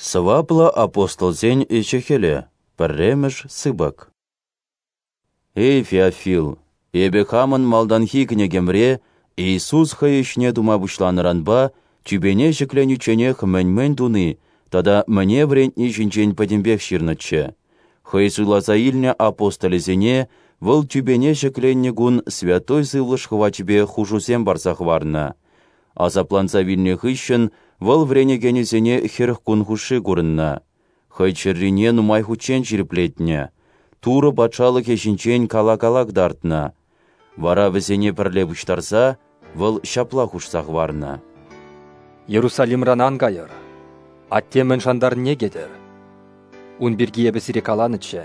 Сӑваплӑ апостолсен ӗҫӗ-хӗлӗ, пӗрремӗш сыпӑк. Эй, Феофил, эпӗ хамӑн малтанхи кӗнекемре Иисус хӑй ӗҫне тума пуҫланӑранпа тӳпене ҫӗкленичченех мӗн-мӗн туни тата мӗне вӗрентни ҫинчен пӗтӗмпех ҫырнӑччӗ. Хӑй суйласа илнӗ апостолӗсене вӑл тӳпене ҫӗкленнӗ кун Святой Сывлӑш хӑвачӗпе хушусем парса хӑварнӑ. Асапланса вилнӗ хыҫҫӑн вӑл вӗренекенӗсене 40 кун хушши курӑннӑ. Хӑй чӗррине нумай хутчен ҫирӗплетнӗ, Турӑ Патшалӑхӗ ҫинчен кала-кала кӑтартнӑ. Вара вӗсене пӗрле пуҫтарса вӑл ҫапла хушса хӑварнӑ: Иерусалимран ан кайӑр, Атте мӗн шантарнине кӗтӗр. Ун пирки эпӗ сире каланӑччӗ.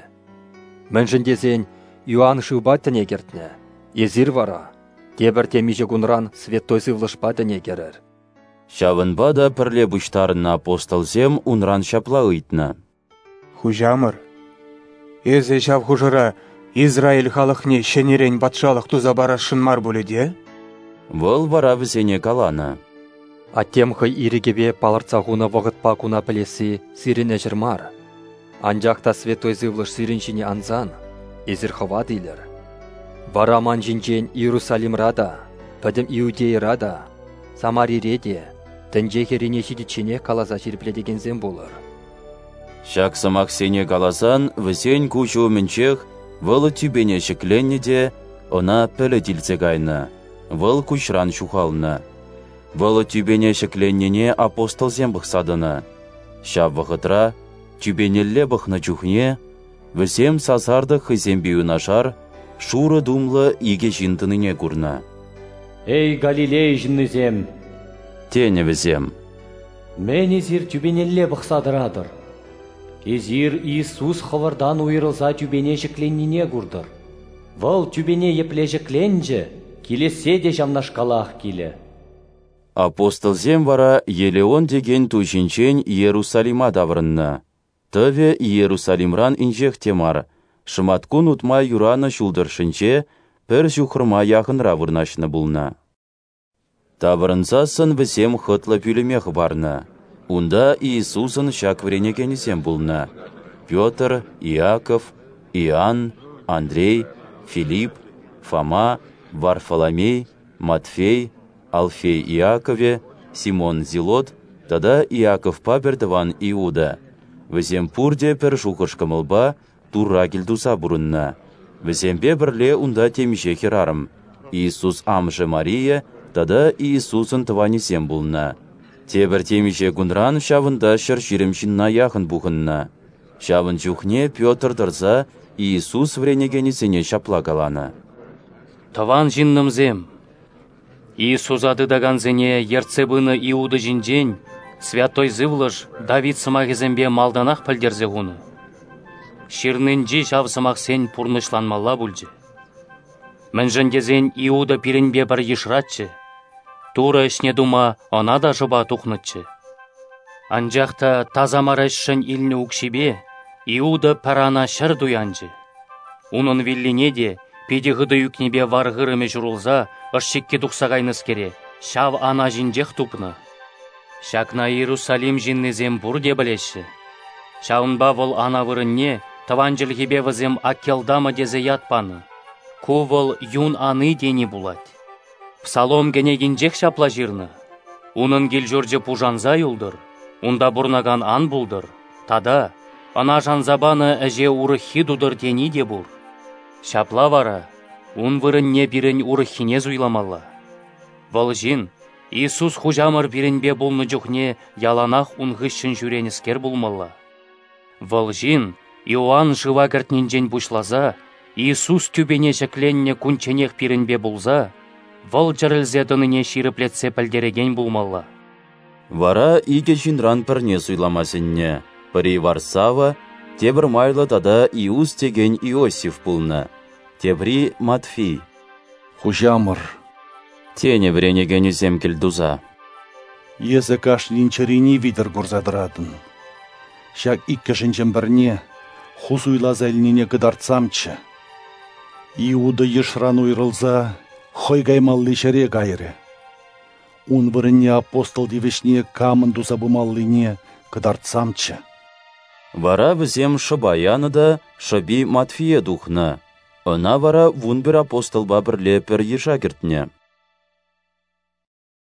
Мӗншӗн тесен Иоанн шывпа тӗне кӗртнӗ, эсир вара тепӗр темиҫе кунран Святой Сывлӑшпа тӗне кӗрӗр. Ҫавӑнпа та пӗрле пуҫтарӑннӑ апостолсем унран ҫапла ыйтнӑ: Хуҫамӑр, эсӗ ҫав хушӑра Израиль халӑхне ҫӗнӗрен патшалӑх туса парасшӑн мар пулӗ те? Вӑл вара вӗсене каланӑ: Аттем хӑй ирӗкӗпе палӑртса хунӑ вӑхӑтпа куна пӗлесси сирӗн ӗҫӗр мар. Анчах та Святой Сывлӑш сирӗн ҫине ансан, эсир хӑват илӗр. Вара ман ҫинчен Иерусалимра та, пӗтӗм Иудейӑра та, Самарире те, тӗнче хӗррине ҫитичченех каласа ҫирӗплетекенсем пулӑр. Ҫак сӑмахсене каласан вӗсен куҫӗ умӗнчех вӑл тӳпене ҫӗкленнӗ те ӑна пӗлӗт илсе кайнӑ, вӑл куҫран ҫухалнӑ. Вӑл тӳпене ҫӗкленнине апостолсем пӑхса тӑнӑ. Ҫав вӑхӑтра, тӳпенелле пӑхнӑ чухне, вӗсем сасартӑк хӑйсемпе юнашар шурӑ тумлӑ икӗ ҫын тӑнине курнӑ. «Эй, Галилея ҫыннисем!» тенӗ вӗсем. «Мӗн эсир тӳпенелле пӑхса тӑратӑр? Эсир Иисус хӑвӑртан уйрӑлса тӳпене ҫӗкленнине куртӑр. Вӑл тӳпене епле ҫӗкленчӗ, килессе те ҫавнашкалах килӗ». Апостолсем вара Елеон текен ту ҫинчен Иерусалима таврӑннӑ. Тӑвӗ Иерусалимран инҫех те мар, шӑматкун утма юранӑ ҫул тӑршшӗнче пӗр ҫухрӑма яхӑнра вырнаҫнӑ пулнӑ. Таврӑнсассӑн вӗсем хӑтлӑ пӳлӗме хӑпарнӑ. Унта Иисусӑн ҫак вӗренекенӗсем пулнӑ: Петр, Иаков, Иоанн, Андрей, Филипп, Фома, Варфоломей, Матфей, Алфей Иаковӗ, Симон Зилот тата Иаковпа пӗртӑван Иуда. Вӗсем пурте пӗр шухӑш-кӑмӑлпа Турра кӗлтуса пурӑннӑ. Вӗсемпе пӗрле унта темиҫе хӗрарӑм, Иисус амӑшӗ Мария тата Иисусӑн тӑванӗсем пулнӑ. Тепӗр темиҫе кунран ҫавӑнта 120 ҫынна яхӑн пухӑннӑ. Ҫавӑн чухне Петр тӑрса Иисус вӗренекенӗсене ҫапла каланӑ: Тӑван ҫыннӑмсем, Иисуса тытакансене ертсе пынӑ Иуда ҫинчен Святой Сывлӑш Давид сӑмахӗсемпе малтанах пӗлтерсе хунӑ. Ҫырнинчи ҫав сӑмахсен пурнӑҫланмалла пулчӗ. Мӗншӗн тесен Иуда пирӗнпе пӗр йышраччӗ, Турӑ ӗҫне тума ӑна та шӑпа тухнӑччӗ. Анчах та таса мар ӗҫшӗн илнӗ укҫипе Иуда пӗр ана ҫӗр туянчӗ. Унӑн виллине те питӗ хытӑ ӳкнипе вар-хырӑмӗ ҫурӑлса ӑш-чикки тухса кайнӑскере ҫав ана ҫинчех тупнӑ. Ҫакна Иерусалим ҫыннисем пурте пӗлеҫҫӗ. Ҫавӑнпа вӑл ана вырӑнне тӑван чӗлхепе вӗсем Акелдама тесе ят панӑ. Ку вӑл юн ани тени пулать. Псалом кӗнекинчех ҫапла ҫырнӑ: Унӑн кил-ҫурчӗ пушанса юлтӑр, унта пурӑнакан ан пултӑр, тата ӑна шанса панӑ ӗҫе урӑххи тутӑр тени те пур. Ҫапла вара ун вырӑнне пирӗн урӑххине суйламалла. Вӑл ҫын Иисус Хуҫамӑр пирӗнпе пулнӑ чухне яланах ун хыҫҫӑн ҫӳренӗскер пулмалла. Вӑл ҫын Иоанн шыва кӗртнинчен пуҫласа Иисус тӳпене ҫӗкленнӗ кунчченех пирӗнпе пулса, вӑл чӗрӗлсе тӑнине ҫирӗплетсе пӗлтерекен пулмалла. Вара икӗ ҫынран пӗрне суйлама сӗннӗ. Пӗри Варсава, тепӗр майлӑ тата Иус текен Иосиф пулнӑ, тепри Матфий. Хуҫамӑр, тенӗ вӗренекенӗсем кӗлтуса. Эсӗ кашнин чӗрине витӗр курса тӑратӑн. Ҫак иккӗшӗнчен пӗрне ху суйласа илнине кӑтартсамччӗ. Иуда йышран уйрӑлса хӑй каймалли ҫӗре кайрӗ. Ун вырӑнне апостол тивӗҫне камӑн туса пымаллине кӑтартсамччӗ. Вара вӗсем шӑпа янӑ та шӑпи Матфие тухнӑ. Ӑна вара 11 апостолпа пӗрле пӗр йыша кӗртнӗ.